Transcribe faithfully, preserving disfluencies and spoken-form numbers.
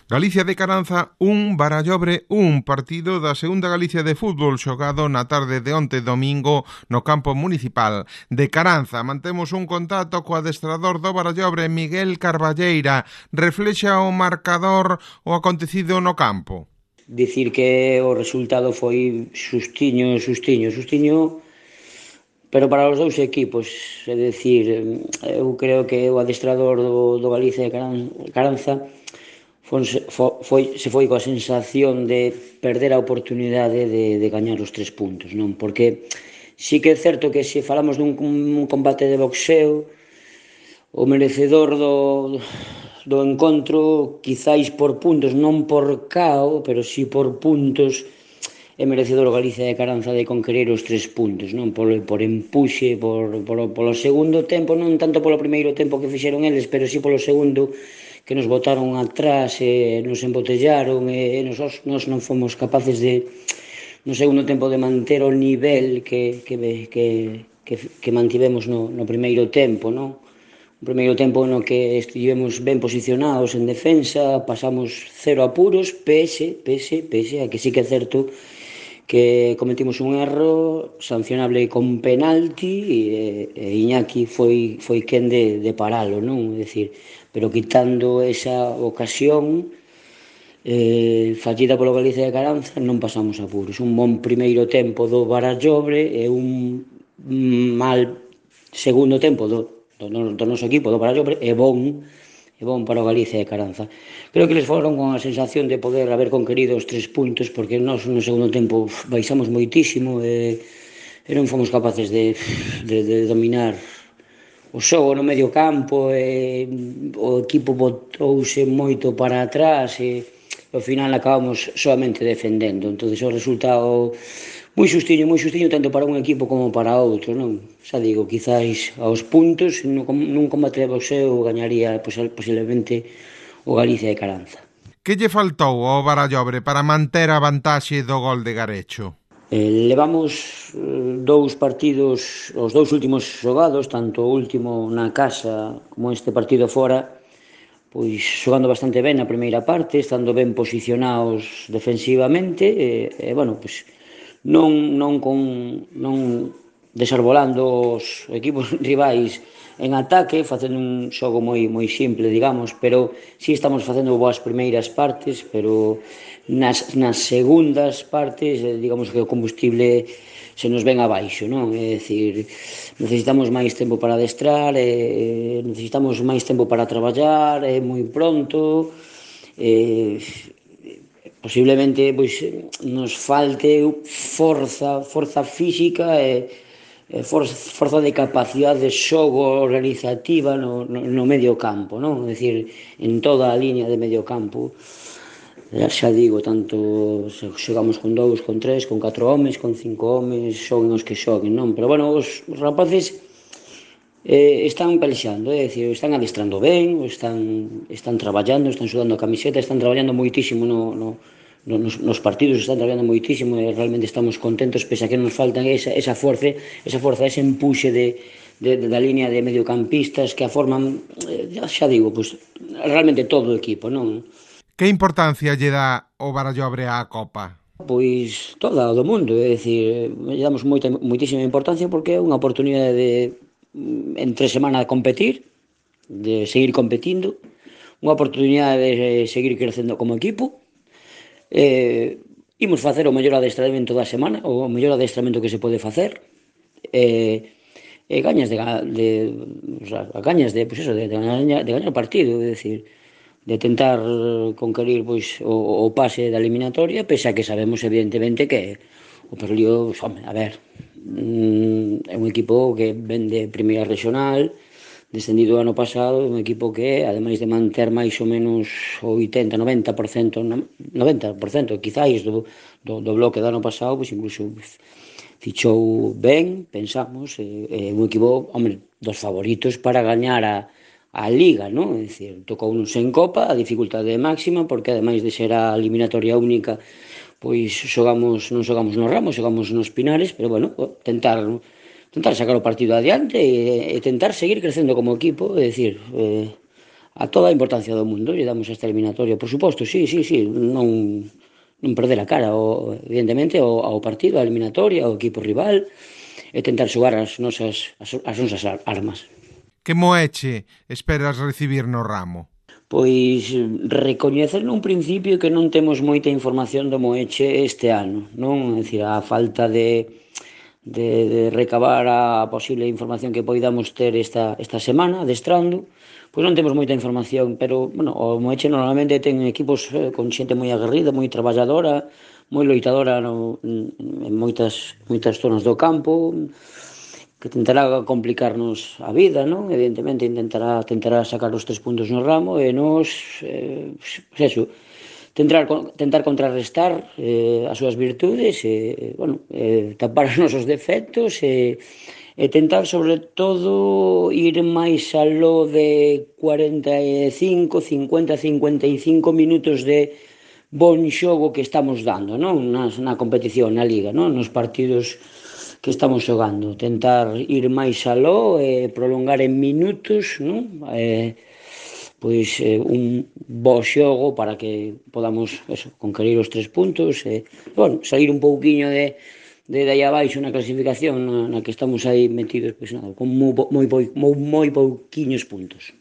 Galicia de Caranza un, Barallobre un, partido da segunda Galicia de fútbol xogado na tarde de onte domingo no campo municipal de Caranza. Mantemos un contacto co adestrador do Barallobre, Miguel Carballeira. Reflexa o marcador o acontecido no campo? Dicir que o resultado foi sustiño, sustiño, sustiño, pero para os dous equipos, é dicir, eu creo que o adestrador do, do Galicia de Caranza foi, foi, se foi coa sensación de perder a oportunidade de, de gañar os tres puntos, non? Porque sí que é certo que se falamos dun un combate de boxeo, o merecedor do, do encontro, quizáis por puntos, non por cao, pero sí por puntos, é merecedor o Galicia de Caranza de conquerir os tres puntos, non? Por, por empuxe, por, por, polo segundo tempo, non tanto polo primeiro tempo que fixeron eles, pero sí polo segundo, que nos botaron atrás e nos embotellaron e nos, nos non fomos capaces de no segundo tempo de manter o nivel que, que, que, que, que mantivemos no, no primeiro tempo, non? O primeiro tempo no que estivemos ben posicionados en defensa, pasamos cero apuros, pese, pese, pese a que sí que é certo que cometimos un erro sancionable con penalti e, e Iñaki foi, foi quen de, de paralo, non? É dicir, pero quitando esa ocasión eh, fallida polo Galicia de Caranza, non pasamos apuros. Un bon primeiro tempo do Barallobre e un mal segundo tempo do, do, do noso equipo do Barallobre e bon e bon para o Galicia de Caranza. Creo que les foron con a sensación de poder haber conquerido os tres puntos, porque nós no segundo tempo baixamos moitísimo e, e non fomos capaces de, de, de dominar o xogo no medio campo e o equipo botouse moito para atrás e ao final acabamos solamente defendendo. Entonces o resultado moi xustiño, moi xustiño tanto para un equipo como para outro, non? Xa digo, quizáis aos puntos nun combate de boxeo gañaría posiblemente o Galicia de Caranza. Que lle faltou ao Barallobre para manter a vantaxe do gol de Garecho? Eh, levamos eh, dous partidos, os dous últimos xogados, tanto o último na casa como este partido fora, pois xogando bastante ben na primeira parte, estando ben posicionados defensivamente e, e bueno, pois non, non con non desarbolando os equipos rivais en ataque, facendo un xogo moi moi simple, digamos, pero si sí estamos facendo boas primeiras partes, pero nas, nas segundas partes, digamos que o combustible se nos ven abaixo, non? É dicir, necesitamos máis tempo para adestrar, e necesitamos máis tempo para traballar, é moi pronto, e posiblemente pois nos falte forza, forza física e forza, forza de capacidade de xogo organizativa no, no, no medio campo, non? É dicir, en toda a línea de medio campo, xa digo, tanto xogamos con dous, con tres, con catro homes, con cinco homes, xoguen os que xoguen, non? Pero, bueno, os, os rapaces eh, están pelexando, é dicir, están adestrando ben, están, están traballando, están sudando a camiseta, están traballando moitísimo no, no, no, nos, nos partidos, están traballando moitísimo e realmente estamos contentos, pese a que nos faltan esa, esa forza, esa forza, ese empuxe de, de, de, da línea de mediocampistas que a forman, eh, xa digo, pues, realmente todo o equipo, non? Que importancia lle dá o Barallobre á Copa? Pois toda o do mundo, é dicir, lle damos moita, moitísima importancia porque é unha oportunidade de entre semana de competir, de seguir competindo, unha oportunidade de seguir crecendo como equipo. Eh, imos facer o mellor adestramento da semana, o mellor adestramento que se pode facer. Eh, e gañas de, de o sea, gañas de, pues eso, de, de, gañar, de gañar o partido, é dicir, de tentar conquerir pois, o, o pase da eliminatoria, pese a que sabemos evidentemente que o Perlío, pues, home, a ver, mm, é un equipo que ven de primeira regional, descendido o ano pasado, un equipo que, ademais de manter máis ou menos o oitenta, noventa por cento, noventa por cento quizáis do, do, do bloque do ano pasado, pois incluso fichou ben, pensamos, é, é un equipo, home, dos favoritos para gañar a a Liga, non? É dicir, tocounos en Copa, a dificultade máxima, porque ademais de ser a eliminatoria única, pois xogamos, non xogamos nos Ramos, xogamos nos Pinares, pero, bueno, tentar tentar sacar o partido adiante e, e tentar seguir crecendo como equipo, é dicir, eh, a toda a importancia do mundo, lle damos esta eliminatoria, por suposto, sí, sí, sí, non, non perder a cara, o, evidentemente, ao, ao partido, a eliminatoria, ao equipo rival, e tentar xogar as nosas, as, as nosas armas. Que moeche esperas recibir no ramo? Pois recoñecer nun principio que non temos moita información do Moeche este ano, non? É dicir, a falta de, de, de recabar a posible información que poidamos ter esta, esta semana, adestrando, pois non temos moita información, pero, bueno, o Moeche normalmente ten equipos eh, con xente moi aguerrida, moi traballadora, moi loitadora no, en moitas, moitas zonas do campo, que tentará complicarnos a vida, non? Evidentemente intentará tentará sacar os tres puntos no ramo e nos, eh, pues eso, tentar, tentar contrarrestar eh, as súas virtudes e, bueno, eh, tapar os nosos defectos e, e tentar, sobre todo, ir máis aló de cuarenta e cinco, cincuenta, cincuenta e cinco minutos de bon xogo que estamos dando, non? Nas, na competición, na liga, non? Nos partidos que estamos xogando, tentar ir máis aló e prolongar en minutos, non? Eh, pois eh, un bo xogo para que podamos eso, conquerir os tres puntos e, bueno, sair un pouquiño de, de, de aí abaixo na clasificación na, na que estamos aí metidos, pois nada, con moi, moi, moi, moi pouquiños puntos.